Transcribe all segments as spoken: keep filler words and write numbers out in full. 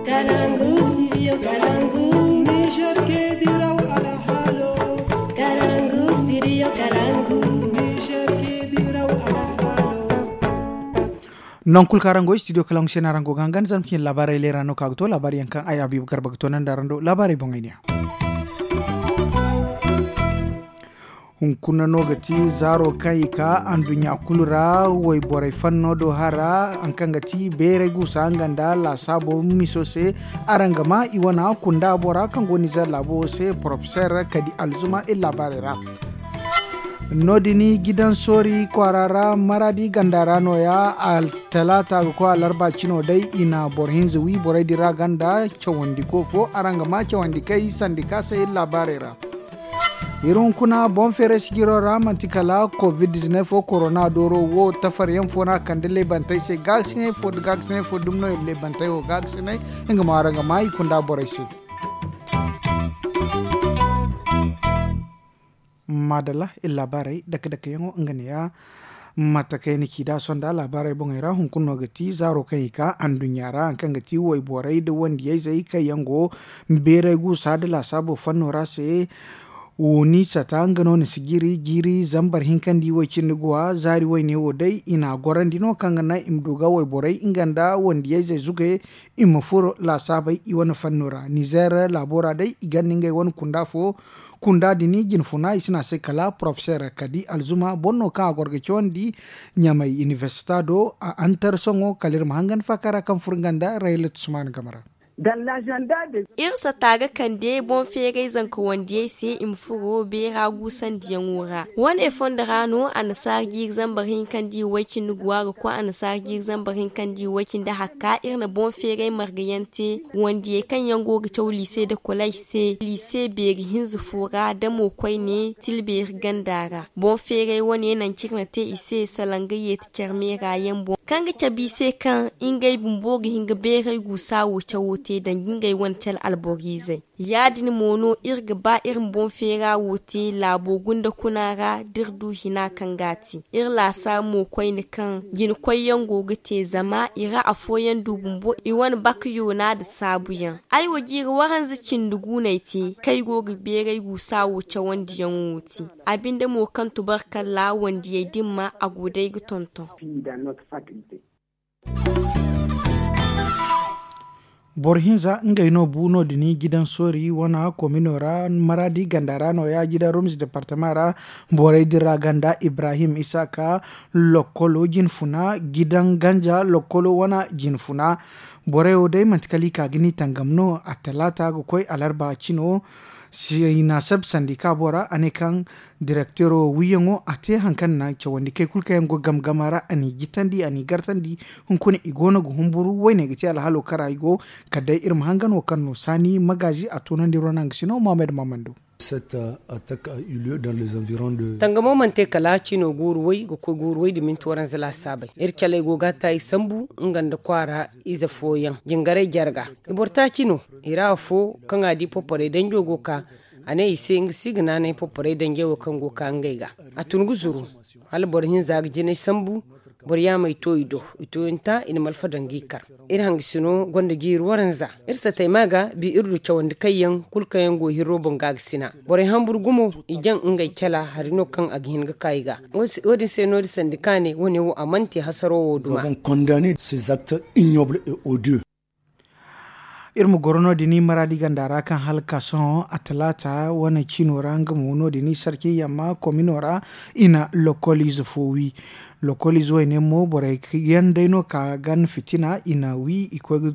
Kalangu studio kalangu. Niger ke diraw alhalo. Kalangu studio kalangu. Niger ke diraw alhalo. Non kulu kaŋ araŋ go studio kalangu se no araŋ go ga hangan zama cine laabaarey leera no ka ga to laabaari yaŋ kaŋ ay abiba garba ga to naŋ da araŋ do laabaarey boŋey ne ya. Hunkuna no ga ti zaaro kaŋ i ka anduɲɲa kulu ra wayborey fanno do hara haŋ kaŋ ga ti beeray guusa nga nda laasaabo miso se. Araŋ ga ma i wana kunda bora kaŋ go nizer laabo se porofeser kadi alzuma iri laabaarey ra. No- din gidan soori kwaara ra maradi ganda ra no- ya. Talaata ga koy alarba cino day i na boro hinza wi borey din ra ganda cawandiko fo araŋ ga ma cawandikey sandika se iri laabaarey ra. Iri hunkuna boŋ feeray sijiro ra manti kala covid dizineef wo korona dooro wo tafaryaŋ fo no a kande leebantey se gaagasinay fo nda gaagasinay fo dumi no iri leebantey wo gaagasinay. Nga mo araŋ ga ma i kunda borey se. Maadalla iri laabaarey dake dake yaŋo nga ne- ya. Mate kaŋ ay na ci nd'a sonda laabaarey boŋey ra hunkuna no ga ti zaaro kaŋ i ka anduɲɲa ra haŋ kaŋ ga ti wayborey nda wandiyayzey kaŋ yaŋ go beeray guusa nda laasaabo fanno ra se. Woni sata nga no ni si jiiri jiiri zambar hinkandi way-cindi guwa zaari wayne wo day i na a gorandi no kaŋ ga naŋ i ma du ga wayborey nga nda wandiyayzey zuge i ma furo laasaabey i wane fanno ra nizer laabo ra day i ganda ngey wane kunda fo. Kunda din jinfuna i si ne a se kala porofeser kadi alzuma boro no kaŋ a goro ga cawandi ɲamay inibersita do a antar sohõ kala iri ma hangan faaka ra kaŋ furo nga nda rayla tusmaani game ra. Iri sata ga kande boŋ feeray zanka wandiyey se i ma furo beera guusandiyaŋo ra wane fondo ra no annasaara jiiri zambar hinkandi way-cindi guwa ga koy annasaara jiiri zambar hinkandi way-cindi hakka iri na boŋ feeray marga yaŋ te. Wandiyey kaŋ yaŋ go ga caw liise nda kolay se liise beeri hinza fo ra damo koyne tilbeeri ganda ra boŋ feeray wane nangu kaŋ iri na te i se salaŋ ga yeeti care meera yaŋ boŋ kaŋ ga cabe i se kaŋ ngey bumbo ga hin ga beeray guusa wo cawo te danga ngey wane care alboriizey. Ya- din mo no iri ga ba iri ma boŋ feera wo te laabo gunda kuna ra da iri du hina kaŋ ga a te iri laasaabu mo koyne kaŋ jina koyyaŋ go ga te zama i ra afooyaŋ du bumbo i wane baka yoona nda saabuyaŋ. Ay wo jiiri waranza cindi guunay te kaŋ ay go ga beeray guusa wo cawandiyaŋo wo te. A binde mo kaŋ tubarkalla wandiyey din ma a go day ga tonton. Boro hinza ngey no bu no- din gidan soori wane komino ra maraadi ganda ra no- ya gidan rumis departama ra. Borey din ra ganda ibrahim isaaka lokkolo jinfuna gidan ganja lokkolo wane jinfuna. Borey wo day manti kala i ka ga ni tangam no a talaata ga koy alarba cino. Sinasab sandika bora a ne kaŋ direktero wiyaŋo a te haŋ kaŋ na cawandi kay kulu kaŋ yaŋ go gamgama ra a n'i jitandi a n'i gartandi. Hunkuna i go no ga humburu wayne ga te alhalo kara i go. Kala day iri ma hangan wo kaŋ no saani magaazi a tunandi ronang sino mohammed mahamman do. Tangamo mana te kala cino guuru way ga koy guuru way nda minti waranza laasaabey iri caley go ga a ta i sambu nga nda kwaara ize fooyaŋ jingaray jarga. I boro taaci no i ra afo kaŋ a di poporey danjo go ka a ne i se nga si ga naanay poporey danjey wo kaŋ go ka ngey ga. A tun ga zuru hala boro hinza ga jinay sambu. Boro yaamey to i do i to i nta i na malfa daŋ ga i kar. Iri hangasino gonda jiiri waranza iri satay ma ga bi iri du cawandi kayyaŋ kulu kaŋ yaŋ go hirro boŋ ga ga sina. Borey hamburu gumo i jaŋ ngey cala hari no kaŋ a ga hin ga ka i ga. Wo- din se no- din sandi kaane wo- ne wo a mana te hasaro wo duma. Iri ma goro no- din maraadi ganda ra kaŋ hala ka sohõ a talaata wane cino ra nga mo no- din sarki yamma komino ra. I na lokoliize fo wi lokoliize wayne mo borey yaŋ day no ka gan fitina i na wi i koy ga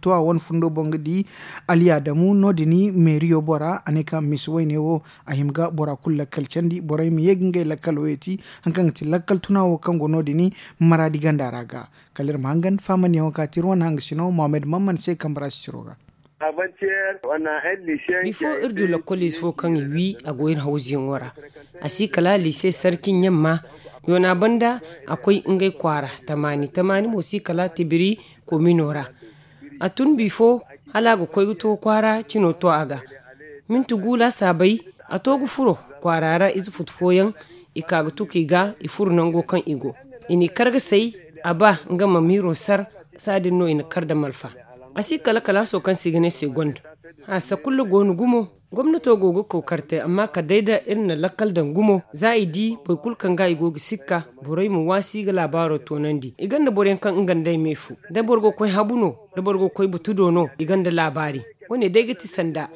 tuwa wane fundo boŋ ga di. Alyaadamu no- din meeriyo bora a ne kaŋ misi wayne wo a hima ga bora kulu lakkal candi borey ma ye ga ngey lakkalo yeeti. Haŋ kaŋ ga ti lakkal tuna wo kaŋ go no- din maraadi ganda ra ga. Kala iri ma hangan faamandiyaŋo ka ti iri wane hangasino mohammed mamman se kambe ra sisiro ga. Bifo iri du lakkoliize fo kaŋ i wi a go iri hawzuyaŋo ra. A si kala liise sarki ɲamma yoona banda a koy ngey kwaara tamaani tamaani mo si kala tibiri komino ra. A tun bifo hala a ga koy ga to kwaara cino to a ga. Minti gu laasaabey a to ga furo kwaara ra ize futu fooyaŋ. I ka ga tuku i ga i furo nango kaŋ i go i n'i kar ga say a ba nga ma miiro sar. Saadin no i na kar nda malfa. A si kala kalaaso kaŋ se i ga ne se gonda. A sakulla go no gumo. Gomnato go ga kookari te amma kala day da iri na lakkal daŋ gumo za i di boro kulu kaŋ ga i go ga sikka. Borey ma waasi ga laabaaro toonandi i gonda boro yaŋ kaŋ nga nda ay ma ay fu. Da boro go ga koy habu no, da boro go ga koy butudo no, i gonda laabaari. Wo- ne day ga ti sanda.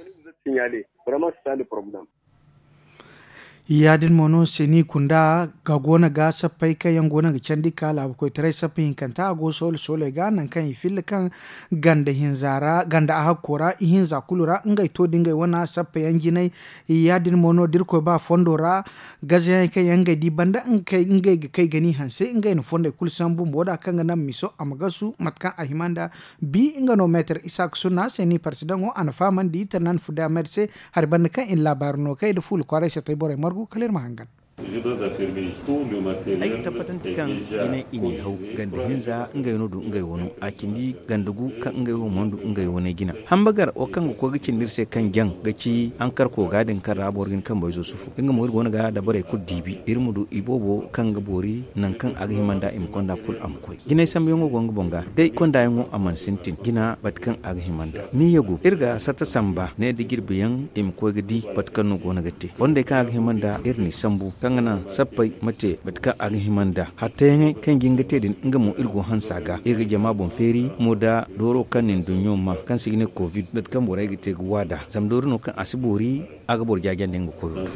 Ya- din mo no se ni kunda ga go no ga sappey kaŋ yaŋ go no ga candi ka laabu koytaray sappa hinkanta a go soole sooley ga nangu kaŋ i filla kaŋ ganda hinza ra ganda a hakko ra ihinza kulu ra ngey to da ngey wane sappa yaŋ jinay. Ya- din mo no da iri koy ba fondo ra gazayaŋ kaŋ yaŋ ngey di banda ngey ga kay ga ni hanse ngey na fondey kulu sambu bumbo da kaŋ ga naŋ miso a ma gasu mate kaŋ a hima nda. Bi nga no meetar isaaka sunna se ni parsidaŋo a na fahamandi tanaani fudda meetar se. Hari banda kaŋ i na laabaari no kay nda fuula kwaaray satay borey margu kala iri ma hangan. Ay ga tabbatandi kaŋ jinay i n'i haw ganda hinza ngey no du ngey wano a cindi ganda gu kaŋ ngey wo mana du ngey wane jina. Hamba gar wo kaŋ ga koy ga cindi iri se kaŋ jaŋ ga ci hankarko ga din kaŋ ra boro ga hin kambayzo sufu nga mo iri go no ga dabarey kulu diibi iri ma du i boobo kaŋ ga boori nangu kaŋ a ga hima nd'a i ma konda kulu a ma koy. Jinay sambuyaŋo go nga boŋ ga day kondayaŋo a mana sintin jina bate kaŋ a ga hima nd'a ni yagu iri ga satta samba ne da jirbiyaŋ i ma koy ga di bate kaŋ no go no ga te fondey kaŋ a ga hima nd'a iri n'i sambu kaŋ ga naŋ sappey ma te bate kaŋ a ga hima nd'a. Hattayaŋey kaŋ i ga hin ga te din nga mo iri go hanse a ga iri ga jama boŋ feeri mo da dooro kaŋ na ni duɲɲo ma kaŋ se i ga ne covid bate kaŋ borey ga te ga waada zama doori no kaŋ a si boori a ga boro jaajandi nga koyo do.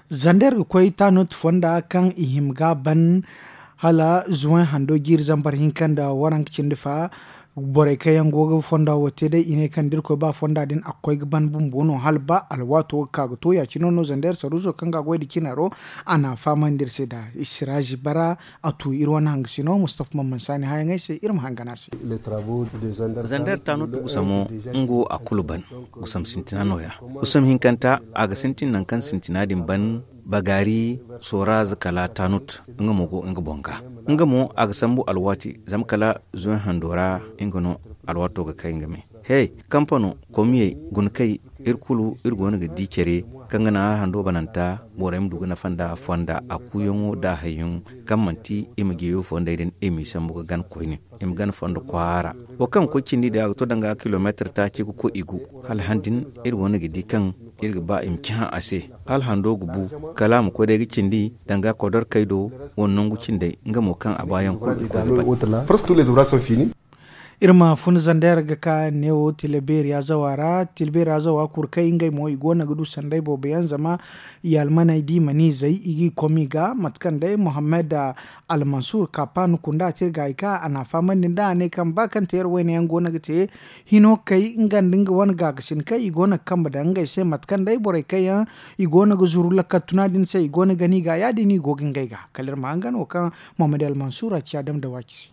Zander ga koy taanut fonda kaŋ i hima ga ban hala zuway hando jiiri zambar hinka nda waranka cindi fa. Borey kaŋ yaŋ go ga fonda wo te day i ne kaŋ da iri koy ba fonda din a ga koy ga ban bumbo no hala ba alwaato ga ka ga to ya- cine no zander saruuso kaŋ ga a goy nda cinaro. A na a fahamandi iri se nd'a. Siraazi bara a tu iri wane hangasino mustafa man mansa ni hayaŋey se iri ma hangan a se. Zander taanut gusamo nga wo a kulu ban. Gusam sintina no- ya gusam hinkanta a ga sintin nangu kaŋ sintina din ban. Bagaari sooraaze kala taanut nga mo go nga boŋ ga. Nga mo a ga sambu alwaati zama kala zuway hando ra nga no alwaato ga kay nga me. He kampano komiyey guna kay iri kulu iri go no ga di care kaŋ ga naŋ hala hando bananta borey ma du ga nafa nda fonda a kuuyaŋo nda a hayyaŋo kaŋ manti i ma jeeyo fondey din i m'i sambu ga gana koyne. I ma gana fondo kwaara wo kaŋ ga koy cindi day a ga to danga kilomeetar taaci ga koy i gu. Hala han din iri go no ga di kaŋ iri ga ba i ma cahã a se hala hando ga bu kala a ma koy day ga cindi danga kodorkey do. Wala nangu cindey nga mo kaŋ a baayaŋ kulu i koy ga bay. Iri ma fun zander ga ka neewo tila beeri azawa ra tila beeri azawa kuru kaŋ ngey mo i go no ga du sanday boobo yaŋ zama i almaney da i mana izey i g'i komi ga mate kaŋ day mohammed almansur kapan kunda te iri ga i ka a na a fahamandi nd'a a ne kaŋ ba kaŋ te iri wayne yaŋ go no ga te hino kay nga nda nga wane gaagasin kaŋ i go no ga kambe daŋ ngey se mate kaŋ day borey kaŋ yaŋ i go no ga zuru lakkal tuna din se i go no ga gani ga ya- din i go ga ngey ga kala iri ma hangan wo kaŋ mohammed almansur a ci a dama da waaci se.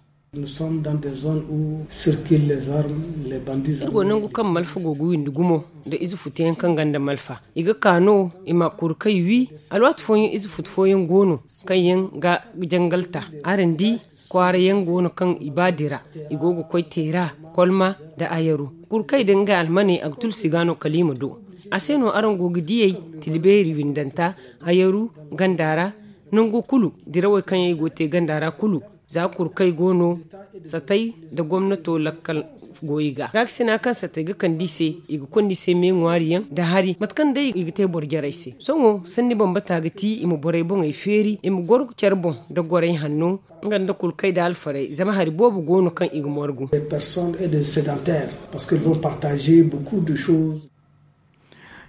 Iri go nangu kaŋ malfa go ga windi gumo nda ize futu yaŋ kaŋ gonda malfa i ga ka no i ma kuru kaŋ i wi. Alwaati fooyaŋ ize futu fooyaŋ go no kaŋ yaŋ ga jangal ta. Araŋ di kwaara yaŋ go no kaŋ i ba dira i go ga koy teera, kolma, nda ayaru. Kuru kaŋ i daŋ ngey almaney a ga tulsi ga no kala i ma du. A se no araŋ go ga diyey, tila beeri windanta, ayaru, ganda ra, nango kulu dirawey kaŋ yaŋ i go ga te ganda ra kulu. Za kuru kaŋ i go no satay nda gomnato lakkal go i ga gaakasina kaŋ satay ga kande i se, i ga konda i se me ŋwaari yaŋ nda hari mate kaŋ day i ga te boro jarey se. Sohõ sanni bambata ga ti i ma borey boŋey feeri i ma goro care boŋ nda gorey hanno, nga nda kulu kaŋ i da alfarey zama hari boobo go no kaŋ i ga morgu.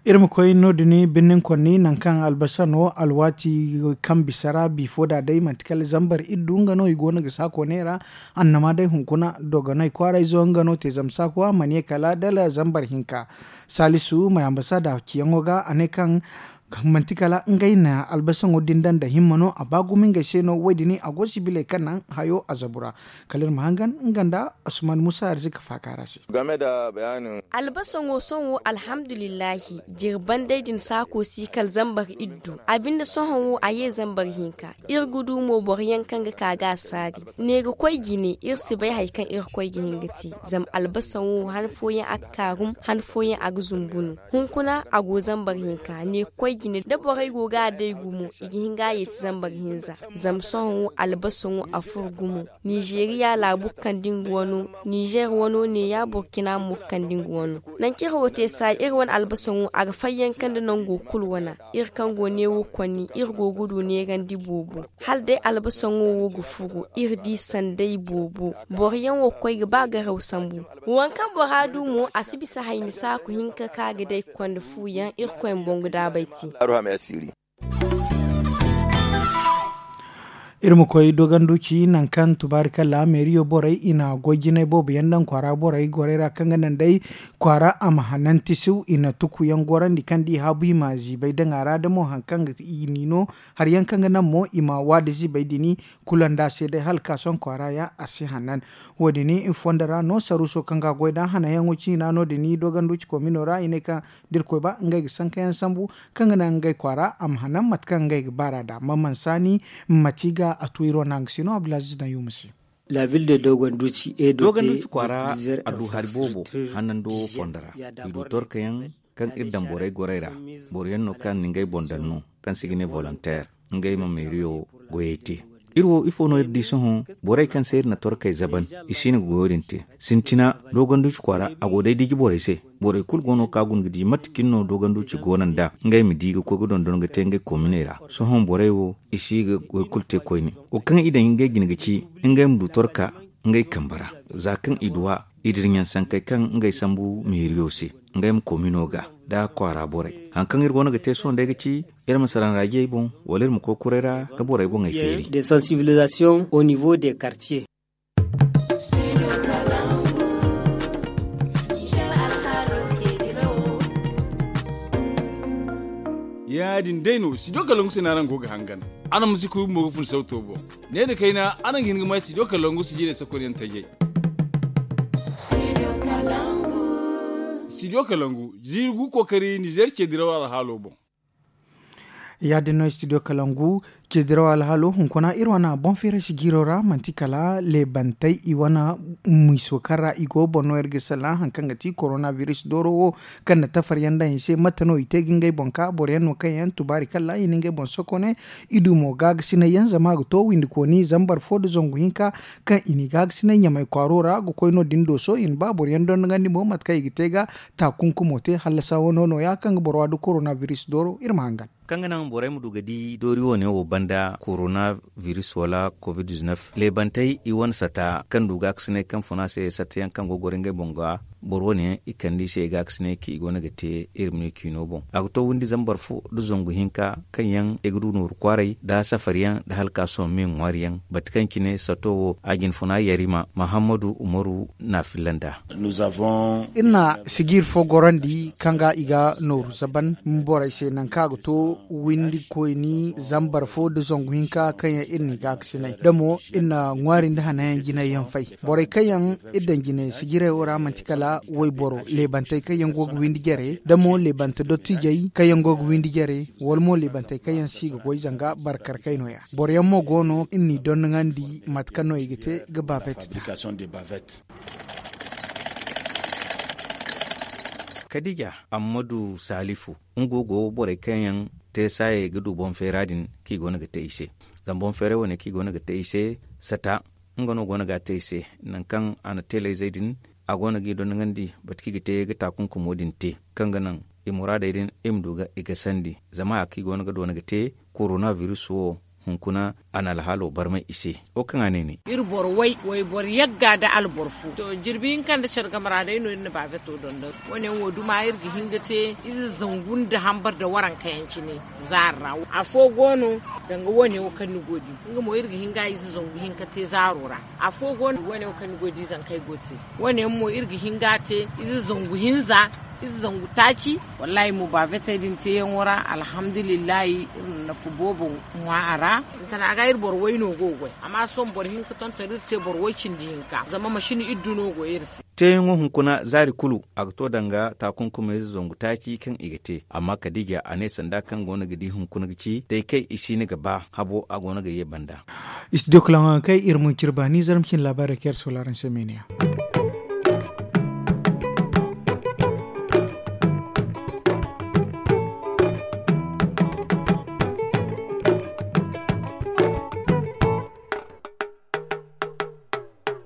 Iri ma koy no- din birnin konni nangu kaŋ albasa no alwaati kaŋ bisa ra bifo da day manti kala zambar iddu nga no i go no ga saako neera. Annama day hunkuna dogonay kwaarayzo nga no te zama saako a mana ye kala dala zambar hinka. Saalisu may ambasada ciyaŋo ga a ne kaŋ manti kala ngey na albasaŋo din daŋ nda himma no a ba gumo ngey se no wo- din a go sibiley kaŋ naŋ hayo a zabu ra. Kala iri ma hangan nga nda asuman musa arzika faaka ra se. Albasaŋo sohõ alhamdulillahi, jirban day din saako si kala zambar iddu. A binde sohõ wo a ye zambar hinka. Iri ga du mo boro yaŋ kaŋ ga ka ga a saari. Ne ga koy jine iri si bay hari kaŋ iri ga koy ga hin ga te. Zama albasaŋo han fooyaŋ a ga kaarum han fooyaŋ a ga zumbu no. Hunkuna a go zambar hinka ne ga koy. cine da borey go ga a day gumo i ga hin ga a yeeti zamba ga hinza. Zama sohõ wo albasa wo a furo gumo. Nizeeriya laabu kande nga wano, nizeer wano neeya burkina mo kande nga wano. Nangu kaŋ iri wo te saaji iri wane albasa wo a ga fayyaŋ kande nango kulu wana. Iri kaŋ go neewo konni iri go ga du neerandi boobo. Hala day albasaŋo wo ga furo iri di sanday boobo. Boro yaŋ wo ga koy ga ba garaw sambu. Waŋ kaŋ bora du mo a si bisa hayni saaku hinka kaŋ a ga day konda fu yaŋ irkoy ma boŋ ga daabay te. Iri ma koy doganduci nangu kaŋ tubaari kalla meeriyo borey i na goy jinay boobo yaŋ daŋ kwaara borey gorey ra kaŋ ga naŋ day kwaara a ma hanan tisiw i na tuku yaŋ gorandi kaŋ da i haabu i ma ziibay daŋ a ra da mo hari kaŋ ga i ni no. Hari yaŋ kaŋ ga naŋ mo i ma waadi ziibay dini kula nda se day hala ga ka sohõ kwaara yaŋ a si hanan. Wo- din i fondo ra no saruuso kaŋ ga goy da hanayaŋo ciina no- din doganduci komino ra i ne kaŋ da irkoy ba ngey ga sanka yaŋ sambu kaŋ ga naŋ ngey kwaara a ma hanan mate kaŋ ngey ga baar'a nd'a mamansaani. Mate i ga a tu iri wane hangasino abdulaziz daŋ yuuma se. Doganduci kwaara a du hari boobo hanando fondo ra i du torka yaŋ kaŋ iri daŋ borey gorey ra. Boro yaŋ no kaŋ na ngey boŋ daŋ no kaŋ se i ga ne volonteer ngey ma meeriyo goyey te. Iri wo ifo no iri di sohõ? Borey kaŋ se iri na torkey zaban i si hin ga goyo din te. Sintina doganduci kwaara a go day diji borey se. Borey kulu go no kaŋ a guna ga di mate cine no doganduci go no nd'a ngey ma di ga koy ga dondon ga te ngey kominey ra. Sohõ borey wo i si ga goy kulu te koyne. Wo kaŋ i daŋ ngey jine ga ci ngey ma du torka ngey kambe ra. Za kaŋ i du a i dira ɲaŋ sankey kaŋ ngey sambu meeriyo se ngey ma komino ga da kwaara borey. Hari kaŋ iri go no ga te sohõ day ga ci iri ma sara nda jey boŋ wala iri ma koy kuray ra ga borey boŋey feeri. De sansibilisation au niveau de kartiye. Ya- din day no studio kalangu se no araŋ go ga hangan. Araŋ ma si kuy bumbo ga fun sawto boŋ. Ne nda kayna araŋ ga hin ga may studio kalangu si jiirey sakonyaŋ tajey. Studio kalangu jiiri gu kookari nizeer ceediraw alhaalo boŋ. Ya- din no studio kalangu ceediraw alhaalo hunkuna iri wane boŋ feeray si jiiro ra manti kala leebantey i wane miiso kaŋ ra i go boŋ no iri ga salla hari kaŋ ga ti korona biris dooro wo kaŋ na tafar yaŋ daŋ i se mate no i te ga ngey boŋ ka boro yaŋ no kaŋ yaŋ tubaari kalla i na ngey boŋ sokone. I du mo gaagasinay yaŋ zama a ga to windi kooni zambar fo nda zangu hinka kaŋ i n'i gaagasinay ɲamay kwaaro ra ga koy no- din dooso i na ba boro yaŋ dondogandi mo mate kaŋ i ga te ga taakunkumo te hallasa wano nooya kaŋ ga boro wa nda korona biris dooro iri ma hangan. Kaŋ ga naŋ borey ma du ga di doori wo- ne wo banda korona biris wala covid dizinef leebantey i wane sata kaŋ du gaakasinay kaŋ funa se sata yaŋ kaŋ go ga goro ngey boŋ ga boro wo- ne yaŋ i kande i se gaakasinay kaŋ i go no ga te iri ma ne ciino boŋ a ga to windi zambar fo nda zangu hinka kaŋ yaŋ i ga du nooru kwaaray nda safari yaŋ nda hala ga ka sohõ me ŋwaari yaŋ bate kaŋ cine sato wo a jinfuna yarima mahammadu umaru na a filla nd'a. Iri na sijiiri fo gorandi kaŋ ga i ga nooru zaban borey se nangu kaŋ a ga to windi koyni zambar fo nda zangu hinka kaŋ yaŋ iri n'i gaakasinay da mo iri na ŋwaari nda hanayaŋ jinay yaŋ fay. Borey kaŋ yaŋ iri daŋ jine sijiray wo ra manti kala wayboro leebantey kaŋ yaŋ go ga windi jare da mo leebante dottijey kaŋ yaŋ go ga windi jare wala mo leebantey kaŋ yaŋ si ga goy zanga barkarkay nooya. Boro yaŋ mo go no iri n'i dondogandi mate kaŋ no i ga te ga bavet ta. Kadija ammadu salifu nga go borey kaŋ yaŋ te saayey ga du boŋ feera din kaŋ i go no ga te i se. Zama boŋ feeray wane kaŋ i go no ga te i se sata nga no go no ga a te i se. Nangu kaŋ a na teelayzey din a go no ga i dondogandi bate kaŋ i ga te ga taakunkumo din te kaŋ ga naŋ i muraadey din i ma du ga i gasandi zama haya kaŋ i go no ga doona ga te korona biris wo hunkuna a na alhaalo barmay i se. Wo kaŋ a ne ne. Iri boro way wayboro yagga nda alboro fo to jirbi hinka nda care game ra day no iri na baaveto dondon. Wo- ne yaŋ wo duma iri ga hin ga te ize zangu nda hambar nda waranka yaŋ cine zaari ra. Afo go no danga wo- ne wo kaŋ ni go di nga mo iri ga hin ga ize zangu hinka te zaaro ra. Afo go no wo- ne wo kaŋ ni go di zankey go te wo- ne yaŋ mo iri ga hin ga te ize zangu hinza ize zangu taaci. Wallaahi mo baavetey din teeyaŋo ra alhamdulillahi iri na nafa boobo ŋwa a ra. Sintina ga iri boro way no go ga goy amma sohõ boro hinka tonton iri te boro way cindi hinka zama masin iddu no go iri se. Teeyaŋo hunkuna zaari kulu a ga to danga taakunkumey zangu taaci kaŋ i ga te amma kadija a ne sanda kaŋ go no ga di hunkuna ga ci day kaŋ i si ni ga ba habo a go no ga ye banda. Studio kalaŋo yaŋ kay iri mo cire baani zarma cine laabaarey kaŋ iri sola araŋ se meeniya.